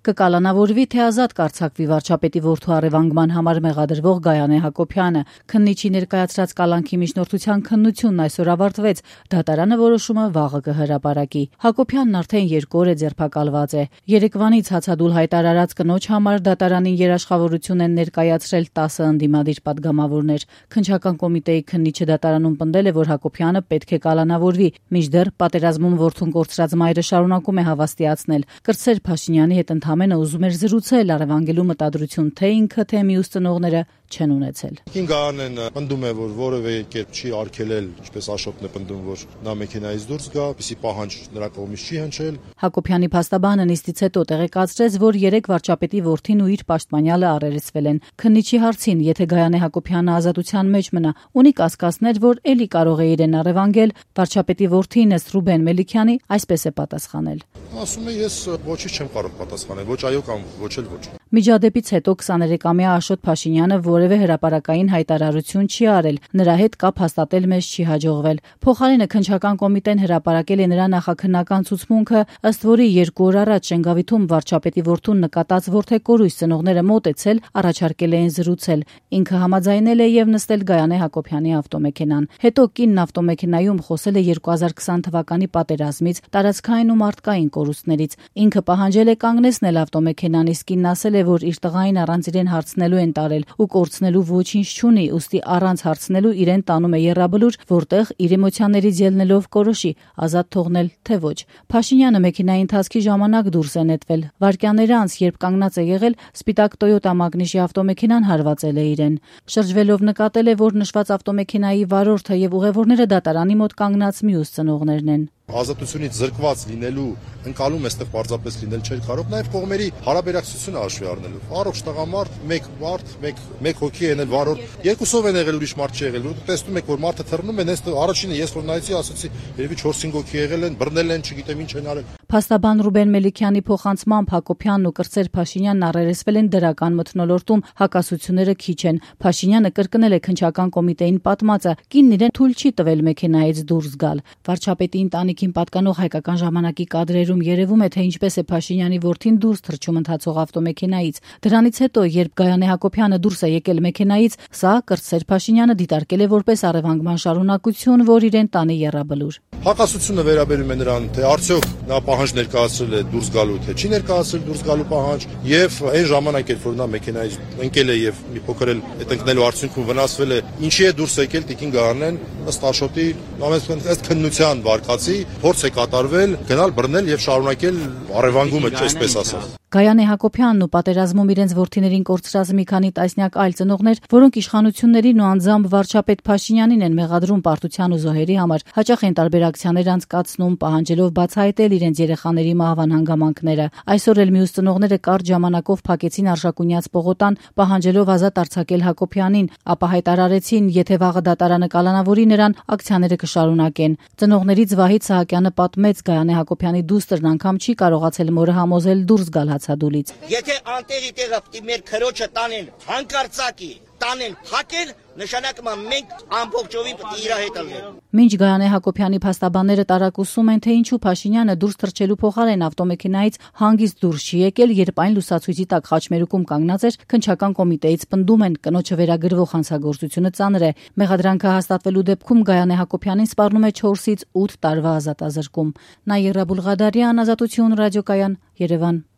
կկալանավորվի, թե ազատ կարձակվի վարչապետի որդու առևանգման համար մեղադրվող Գայանե Հակոբյանը։ Քննիչի ներկայացրած կալանքի միջնորդության քննությունն այսօր ավարտվեց, դատարանը որոշումը վաղը կհրապարակի։ Հակոբյանն արդեն 2 օր է ձերբակալված է։ Երեկվանից հացադուլ հայտարարած կնոջ համար դատարանին երաշխավորություն են ներկայացրել 10 ընդդիմադիր պատգամավորներ։ Քննչական կոմիտեի քննիչը դատարանում պնդել է, որ Հակոբյանը պետք է կալանավորվի, մինչդեռ պատերազմում որդուն կորցրած մայրը շարունակում է հավաստիացնել. Կրտսեր Փաշինյանի հետ ընդամենը ուզում էր զրուցել, առևանգելու մտադրություն թե ինքը, թե մյուս ծնողները չեն ունեցել։ Գայանեն պնդում է, որ որևէ կերպ չի արգելել, ինչպես Աշոտն է պնդում, որ նա մեքենայից դուրս գա, պիսի պահանջ նրա կողմից չի հնչել։ Հակոբյանի փաստաբանը նիստից հետո տեղեկացրեց, որ 3 վարչապետի որդին ու իր պաշտպանյալը առերեսվել են։ Քննիչի հարցին, եթե Գայանե Հակոբյանը ազատության մեջ մնա, ունի կասկածներ, որ էլի կարող է իրեն առևանգել, վարչապետի որդին ըստ Ռուբեն Մելիքյանի այսպես է պատասխանել. Ասում է, ես ոչինչ չեմ կարող պատասխանել, ոչ այո կամ ոչ էլ ոչ։ Միջադեպից հետո 23-ամյա Աշոտ Փաշինյանը որևէ հրապարակային հայտարարություն չի արել, նրա հետ կապ հաստատել մեզ չի հաջողվել։ Փոխարենը քննչական կոմիտեն հրապարակել է նրա նախաքննական ցուցմունքը, ըստ որի 2 օր առաջ Շենգավիթում վարչապետի որդուն նկատած որդեկորույս ծնողները մոտեցել, առաջարկել էին զրուցել։ Ինքը համաձայնել է եւ նստել Գայանե Հակոբյանի ավտոմեքենան։ Հետո կինն ավտոմեքենայում խոսել է 2020 թվականի պատերազմից, տարածքային ու մարդկային կորուստներից։ Ինքը պահանջել է կանգնեցնել ավտոմեքենան, իսկ կինն ասել է, որ իր տղային առանց իրեն հարցնելու են տարել ու կորցնելու ոչինչ չունի, ուստի առանց հարցնելու իրեն տանում է եռաբլուր, որտեղ իր էմոցիաներից ելնելով կորոշի ազատ թողնել թե ոչ։ Փաշինյանը մեքենայի ընթացքի ժամանակ դուրս է նետվել։ Վայրկյաններ անց, երբ կանգնած է եղել, սպիտակ Toyota Magnishի ավտոմեքենան հարվածել է իրեն։ Շրջվելով նկատել է, որ նշված ավտոմեքենայի վարորդը եւ ուղևորները դատարանի մոտ կանգնած մյուս ծնողներն են։ Ազատությունից զրկված լինելու ընկալում այստեղ պարզապես լինել չէր կարող, նաև կողմերի հարաբերակցությունը հաշվի առնելով։ Առողջ տղամարդ, մեկ հոգի են էլ վարորդ, երկուսով են եղել, ուրիշ մարդ չի եղել։ Տեսնում եք, որ մարդը թռնում են, առաջինը ես որ նայեցի, ասացի, երևի 4-5 հոգի եղել են, բռնել են, չգիտեմ ինչ են արել։ Փաստաբան Ռուբեն Մելիքյանի փոխանցմամբ Հակոբյանն ու Կրտսեր Փաշինյանն առերեսվել են դրական մթնոլորտում, հակասությունները քիչ են։ Փաշինյանը կրկնել է քննչական կոմիտեին պատմածը, կինն իրեն թույլ չի տվել մեքենայից դուրս գալ։ Վարչապետի ընտանիքին պատկանող Հայկական ժամանակի կադրերում երևում է, թե ինչպես է Փաշինյանի որդին դուրս թռչում ընթացող ավտոմեքենայից։ Դրանից հետո, երբ Գայանե Հակոբյանը դուրս է եկել մեքենայից, սա Կրտսեր Փաշինյանը դիտարկել է որպես առևանգման շարունակություն, որ իրեն տանի եռաբլուր։ Հակասությունը վերաբերում է նրան, թե արդյոք նա պահանջ ներկայացրել է դուրս գալու, թե չի ներկայացրել դուրս գալու պահանջ, եւ այն ժամանակ, երբ որ նա մեքենայից ընկել է եւ մի փոքր էլ այդ ընկնելու արդյունքում վնասվել է, ինչի է դուրս եկել տիկին Գայանեն, ըստ Աշոտի, ըստ քննության վարկածի, փորձ է կատարվել, գնալ բռնել եւ շարունակել առևանգումը, այսպես ասած։ Գայանե Հակոբյանն ու պատերազմում իրենց որդիներին կորցրած մի քանի տասնյակ այլ ծնողներ, որոնք իշխանություններին ու անձամբ վարչապետ Փաշինյանին են մեղադրում պարտության ու զոհերի համար, հաճախ են տարբերակցիաներ անցկացնում, պահանջելով բացահայտել իրենց երեխաների մահվան հանգամանքները։ Այսօր էլ մյուս ծնողները կարճ ժամանակով փակեցին Արշակունյաց պողոտան, պահանջելով ազատ արձակել Հակոբյանին, ապա հայտարարեցին, եթե վաղը դատարանը կալանավորի նրան, ակցիաները կշարունակեն։ Ծնողներից Վահիթ Սահակյանը պատմեց, Գայանե Հակոբյանի դուստրն անգամ չի կարողացել մորը համոզել դուրս գալ հացադուլից։ Եթե անտեղի տեղը պիտի մեր քրոջը տանեն հանկարծակի, տանեն հակել, նշանակում է մենք ամբողջովին պիտի իր հետ ալնենք։ Մինչ Գայանե Հակոբյանի փաստաբանները տարակուսում են, թե ինչու Փաշինյանը դուրս թռչելու փոխարեն ավտոմեքենայից հանգիստ դուրս չի եկել, երբ այն լուսացույցի տակ խաչմերուկում կանգնած էր, քննչական կոմիտեից պնդում են, կնոջը վերագրվող հանցագործությունը ծանր է։ Մեղադրանքը հաստատվելու դեպքում Գայանե Հակոբյանին սպառնում է 4-ից 8 տարվա ազատազրկում։ Նաիրա Բուլղադարյան, Ազատություն ռադիոկայան, Երևան։